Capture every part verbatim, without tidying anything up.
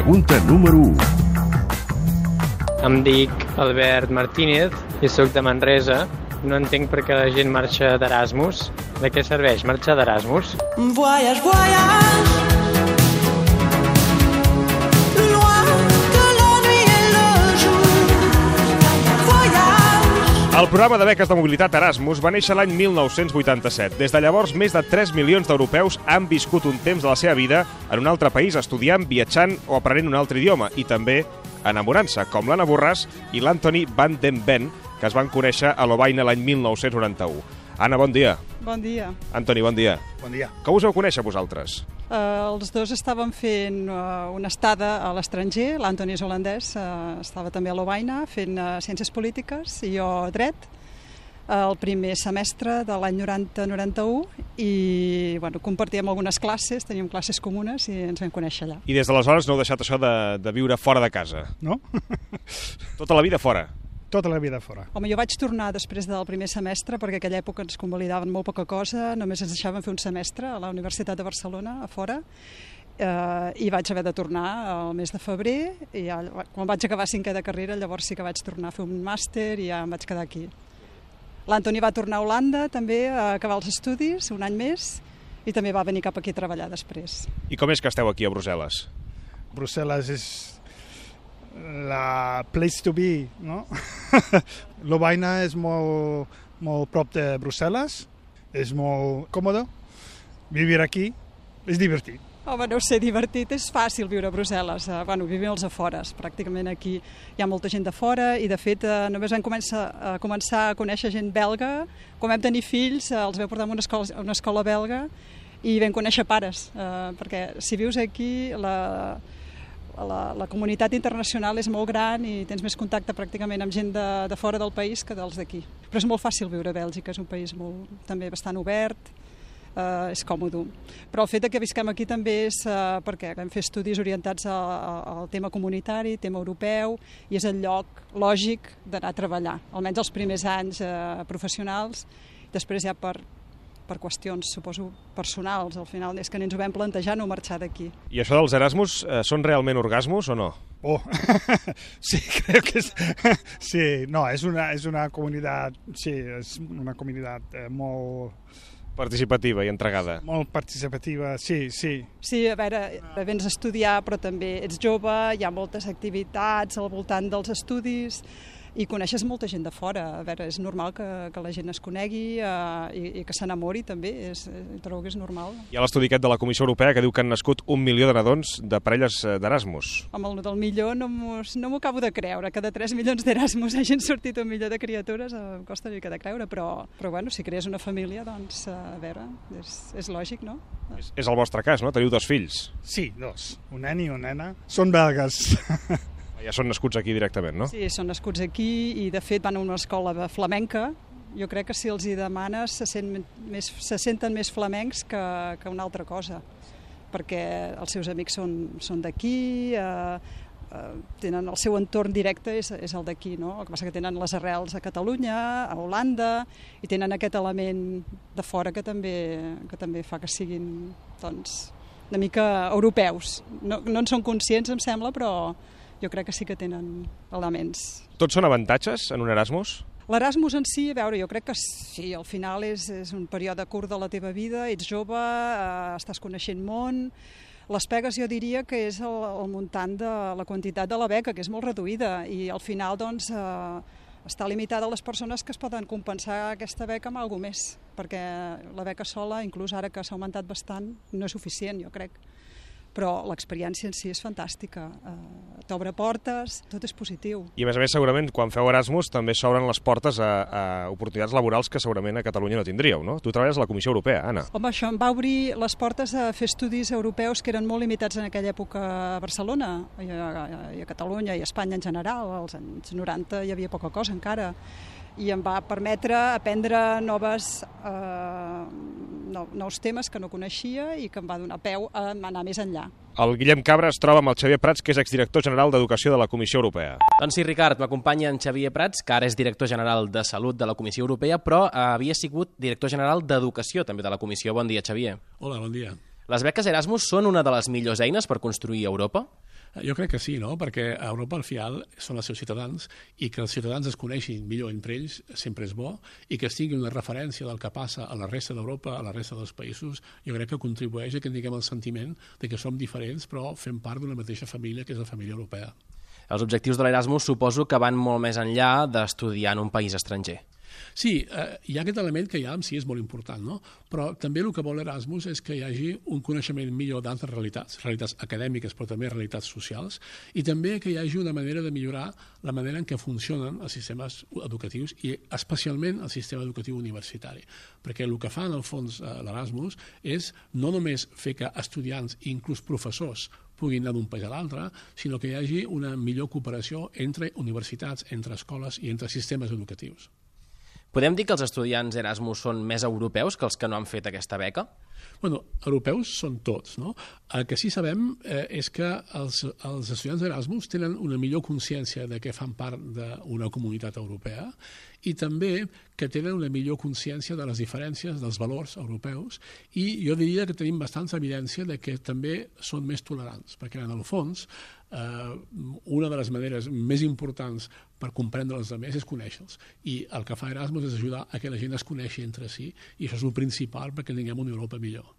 Pregunta número u. Em dic Albert Martínez i sóc de Manresa. No entenc per què la gent marxa d'Erasmus. De què serveix marxar d'Erasmus? Voyage, voyage, loin de l'ennui et le jour. Voyage. El programa de beques de mobilitat Erasmus va néixer l'any mil nou-cents vuitanta-set. Des de llavors, més de tres milions d'europeus han viscut un temps de la seva vida en un altre país, estudiant, viatjant o aprenent un altre idioma, i també enamorant-se, com l'Anna Borràs i l'Anthony Van den Ven, que es van conèixer a Lovaina l'any mil nou-cents noranta-u. Anna, bon dia. Bon dia. Anthony, bon dia. Bon dia. Com us vau conèixer vosaltres? Uh, els dos estàvem fent uh, una estada a l'estranger, l'Anthony és holandès, uh, estava també a Lovaina fent uh, Ciències Polítiques i jo dret, uh, el primer semestre de l'any noranta noranta-u, i bueno, compartíem algunes classes, teníem classes comunes i ens vam conèixer allà. I des d'aleshores no heu deixat això de, de viure fora de casa? No? Tota la vida fora? Tota la vida fora. Home, jo vaig tornar després del primer semestre perquè aquella època ens convalidaven molt poca cosa, només ens deixaven fer un semestre a la Universitat de Barcelona, a fora, eh, i vaig haver de tornar al mes de febrer, i ja, quan vaig acabar cinquè de carrera, llavors sí que vaig tornar a fer un màster i ja em vaig quedar aquí. L'Anthony va tornar a Holanda també a acabar els estudis, un any més, i també va venir cap aquí a treballar després. I com és que esteu aquí a Brussel·les? Brussel·les és la place to be, no? Lovaina és molt, molt prop de Brussel·les, és molt còmode, vivir aquí és divertit. Home, no sé, divertit, és fàcil viure a Brussel·les, uh, bueno, vivim als afores, pràcticament aquí hi ha molta gent de fora i de fet uh, només vam començar, uh, començar a conèixer gent belga, quan vam tenir fills uh, els vam portar a una escola, a una escola belga i vam conèixer pares, uh, perquè si vius aquí la... La, la comunitat internacional és molt gran i tens més contacte pràcticament amb gent de, de fora del país que dels d'aquí. Però és molt fàcil viure a Bèlgica, és un país molt, també bastant obert, eh, és còmode. Però el fet que visquem aquí també és eh, perquè vam fer estudis orientats a, a, al tema comunitari, tema europeu, i és el lloc lògic d'anar a treballar, almenys els primers anys eh, professionals, després ja per... per qüestions, suposo, personals. Al final és que ni ens ho vam plantejar no marxar d'aquí. I això dels Erasmus eh, són realment orgasmos o no? Oh, sí, crec que és... Sí, no, és una, és una comunitat, sí, és una comunitat eh, molt... Participativa i entregada. Molt participativa, sí, sí. Sí, a veure, vens a estudiar, però també ets jove, hi ha moltes activitats al voltant dels estudis, i coneixes molta gent de fora. A veure, és normal que, que la gent es conegui eh, i, i que s'enamori també, és, trobo que és normal. Hi ha l'estudi aquest de la Comissió Europea que diu que han nascut un milió de nadons de parelles d'Erasmus. Home, el del milió no m'ho no acabo de creure, que de tres milions d'Erasmus hagin sortit un milió de criatures, em costa una mica de creure, però, però bueno, si crees una família, doncs, a veure, és, és lògic, no? És, és el vostre cas, no? Teniu dos fills. Sí, dos, un nen i una nena. Són belgues. Ja són nascuts aquí directament, no? Sí, són nascuts aquí i de fet van a una escola flamenca. Jo crec que si els hi demanes se, sent més, se senten més flamencs que, que una altra cosa, perquè els seus amics són, són d'aquí, eh, eh, tenen el seu entorn directe és, és el d'aquí, no? El que passa que tenen les arrels a Catalunya, a Holanda, i tenen aquest element de fora que també, que també fa que siguin doncs, una mica europeus. No, no en són conscients, em sembla, però jo crec que sí que tenen elements. Tots són avantatges en un Erasmus? L'Erasmus en si, a veure, jo crec que sí, al final és, és un període curt de la teva vida, ets jove, eh, estàs coneixent món. Les pegues jo diria que és el, el muntant de la quantitat de la beca, que és molt reduïda, i al final doncs, eh, està limitada a les persones que es poden compensar aquesta beca amb alguna més, perquè la beca sola, inclús ara que s'ha augmentat bastant, no és suficient, jo crec. Però l'experiència en si és fantàstica, eh, t'obre portes, tot és positiu. I a més a més segurament quan feu Erasmus també s'obren les portes a, a oportunitats laborals que segurament a Catalunya no tindríeu, no? Tu treballes a la Comissió Europea, Anna. Home, això em va obrir les portes a fer estudis europeus que eren molt limitats en aquella època a Barcelona, i a, i a Catalunya i a Espanya en general. Als anys noranta hi havia poca cosa encara, i em va permetre aprendre noves, eh, no, nous temes que no coneixia i que em va donar peu a anar més enllà. El Guillem Cabra es troba amb el Xavier Prats, que és exdirector general d'Educació de la Comissió Europea. Doncs sí, Ricard, m'acompanya en Xavier Prats, que ara és director general de Salut de la Comissió Europea, però havia sigut director general d'Educació també de la Comissió. Bon dia, Xavier. Hola, bon dia. Les beques Erasmus són una de les millors eines per construir Europa? Jo crec que sí, no? Perquè a Europa al final són els seus ciutadans i que els ciutadans es coneixin millor entre ells sempre és bo i que es tingui una referència del que passa a la resta d'Europa, a la resta dels països, jo crec que contribueix a que tinguem el sentiment de que som diferents però fem part d'una mateixa família que és la família europea. Els objectius de l'Erasmus suposo que van molt més enllà d'estudiar en un país estranger. Sí, eh, hi ha aquest element que ja en si és molt important, no? Però també el que vol Erasmus és que hi hagi un coneixement millor d'altres realitats, realitats acadèmiques però també realitats socials, i també que hi hagi una manera de millorar la manera en què funcionen els sistemes educatius i especialment el sistema educatiu universitari. Perquè el que fa en el fons eh, l'Erasmus és no només fer que estudiants i inclús professors puguin anar d'un país a l'altre, sinó que hi hagi una millor cooperació entre universitats, entre escoles i entre sistemes educatius. Podem dir que els estudiants Erasmus són més europeus que els que no han fet aquesta beca? Bueno, europeus són tots, no? El que sí sabem eh, és que els, els estudiants d'Erasmus tenen una millor consciència de que fan part d'una comunitat europea i també que tenen una millor consciència de les diferències dels valors europeus i jo diria que tenim bastanta evidència de que també són més tolerants, perquè en el fons eh, una de les maneres més importants per comprendre els altres és conèixer-los i el que fa Erasmus és ajudar a que la gent es coneixi entre si i això és el principal perquè tinguem una Europa millor.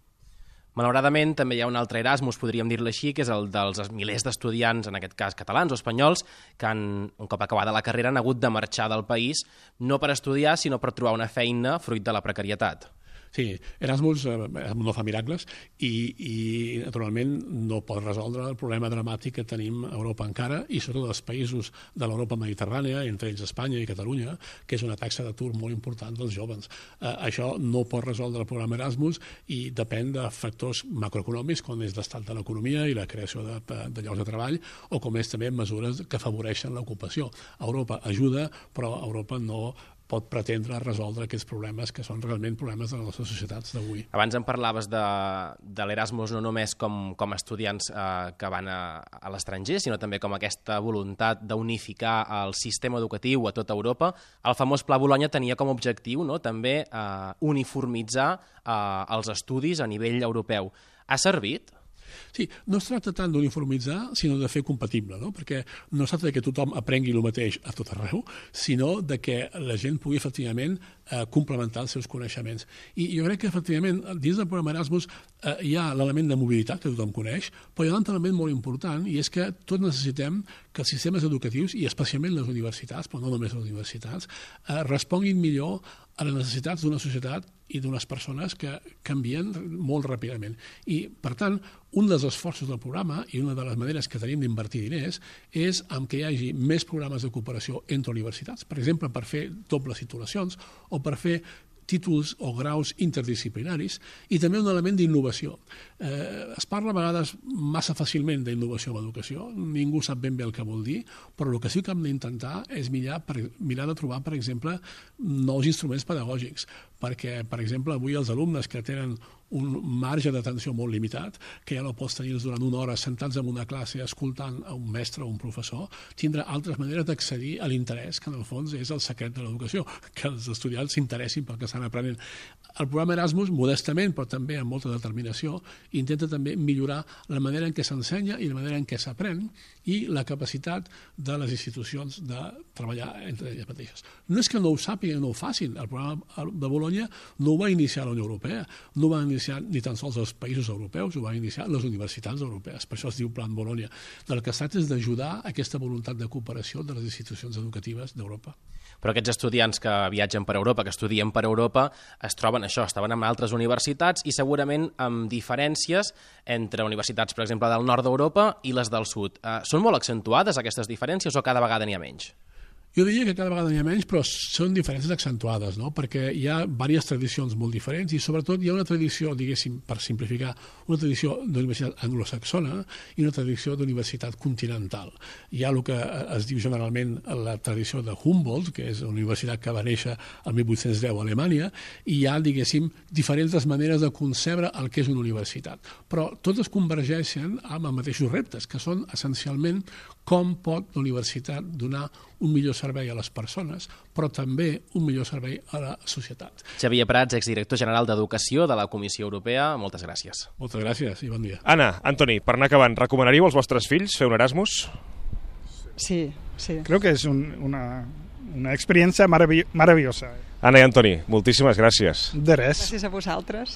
Malauradament, també hi ha un altre Erasmus, podríem dir-lo així, que és el dels milers d'estudiants, en aquest cas catalans o espanyols, que han, un cop acabada la carrera han hagut de marxar del país, no per estudiar, sinó per trobar una feina fruit de la precarietat. Sí, Erasmus eh, no fa miracles i, i naturalment no pot resoldre el problema dramàtic que tenim a Europa encara i sobretot els països de l'Europa mediterrània, entre ells Espanya i Catalunya, que és una taxa d'atur molt important dels joves. Eh, això no pot resoldre el programa Erasmus i depèn de factors macroeconòmics, com és l'estat de l'economia i la creació de, de llocs de treball, o com és també mesures que afavoreixen l'ocupació. Europa ajuda, però Europa no pot pretendre resoldre aquests problemes que són realment problemes de les nostres societats d'avui. Abans em parlaves de, de l'Erasmus no només com, com a estudiants eh, que van a, a l'estranger, sinó també com aquesta voluntat d'unificar el sistema educatiu a tota Europa. El famós Pla Bologna tenia com a objectiu, no?, també eh, uniformitzar eh, els estudis a nivell europeu. Ha servit? Sí, no es tracta tant d'uniformitzar, sinó de fer compatible, no? Perquè no es tracta que tothom aprengui el mateix a tot arreu, sinó de que la gent pugui efectivament eh, complementar els seus coneixements. I jo crec que efectivament dins del programa Erasmus eh, hi ha l'element de mobilitat que tothom coneix, però hi ha un altre element molt important i és que tots necessitem que els sistemes educatius, i especialment les universitats, però no només les universitats, eh, responguin millor a les necessitats d'una societat i d'unes persones que canvien molt ràpidament. I, per tant, un dels esforços del programa i una de les maneres que tenim d'invertir diners és en que hi hagi més programes de cooperació entre universitats, per exemple, per fer dobles titulacions o per fer títols o graus interdisciplinaris i també un element d'innovació. Eh, es parla a vegades massa fàcilment d'innovació en l'educació, ningú sap ben bé el que vol dir, però el que sí que hem d'intentar és mirar, per, mirar de trobar, per exemple, nous instruments pedagògics, perquè, per exemple, avui els alumnes que tenen un marge d'atenció molt limitat, que ja no pots tenir durant una hora sentats en una classe escoltant a un mestre o un professor, tindrà altres maneres d'accedir a l'interès, que en el fons és el secret de l'educació, que els estudiants s'interessin pel que estan aprenent. El programa Erasmus, modestament, però també amb molta determinació, intenta també millorar la manera en què s'ensenya i la manera en què s'aprèn i la capacitat de les institucions de treballar entre elles mateixes. No és que no ho sàpiguen, no ho facin. El programa de Bologna no ho va iniciar la Unió Europea, no ho va iniciar ni tan sols els països europeus, ho van iniciar les universitats europees. Per això es diu Plan Bologna. Del que es tracta és d'ajudar aquesta voluntat de cooperació de les institucions educatives d'Europa. Però aquests estudiants que viatgen per Europa, que estudien per Europa, es troben això, estaven en altres universitats i segurament amb diferències entre universitats, per exemple, del nord d'Europa i les del sud. Eh, són molt accentuades aquestes diferències o cada vegada n'hi ha menys? Jo diria que cada vegada n'hi ha menys, però són diferències accentuades, no? Perquè hi ha diverses tradicions molt diferents i sobretot hi ha una tradició, diguéssim, per simplificar, una tradició d'universitat anglosaxona i una tradició d'universitat continental. Hi ha el que es diu generalment la tradició de Humboldt, que és una universitat que va néixer el mil vuit-cents deu a Alemanya, i hi ha, diguéssim, diferents maneres de concebre el que és una universitat. Però totes convergeixen amb els mateixos reptes, que són essencialment com pot la universitat donar un millor servei servei a les persones, però també un millor servei a la societat. Xavier Prats, exdirector general d'Educació de la Comissió Europea, moltes gràcies. Moltes gràcies i bon dia. Anna, Antoni, per anar acabant, recomanaríeu als vostres fills fer un Erasmus? Sí, sí. Creo que es un, una, una experiencia marav maravillosa. Anna i Antoni, moltíssimes gràcies. De res. Gràcies a vosaltres.